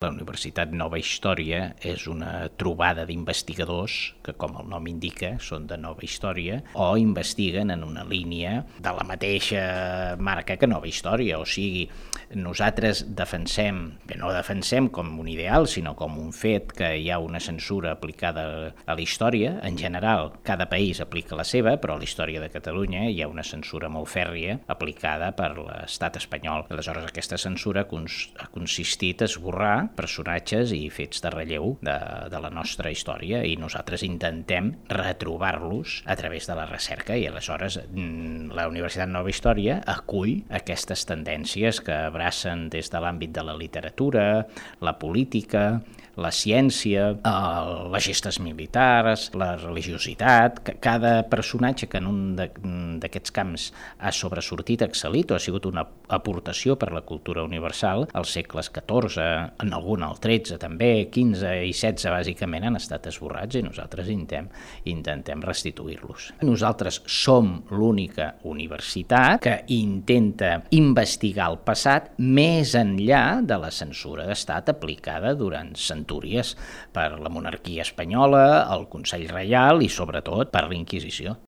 La Universitat Nova Història és una trobada d'investigadors que, com el nom indica, són de Nova Història o investiguen en una línia de la mateixa marca que Nova Història. O sigui, nosaltres no defensem com un ideal, sinó com un fet que hi ha una censura aplicada a la història. En general, cada país aplica la seva, però a la història de Catalunya hi ha una censura molt fèrria aplicada per l'estat espanyol. Aleshores, aquesta censura ha consistit a esborrar personatges i fets de relleu de la nostra història, i nosaltres intentem retrobar-los a través de la recerca, i aleshores la Universitat Nova Història acull aquestes tendències que abracen des de l'àmbit de la literatura, la política, la ciència, les gestes militars, la religiositat. Cada personatge que en un d'aquests camps ha sobresortit, excel·lit o ha sigut una aportació per la cultura universal, als segles XIV, en algun al XIII també, XV i XVI bàsicament han estat esborrats, i nosaltres intentem restituir-los. Nosaltres som l'única universitat que intenta investigar el passat més enllà de la censura d'estat aplicada durant centúries per la monarquia espanyola, el Consell Reial i sobretot per la Inquisició.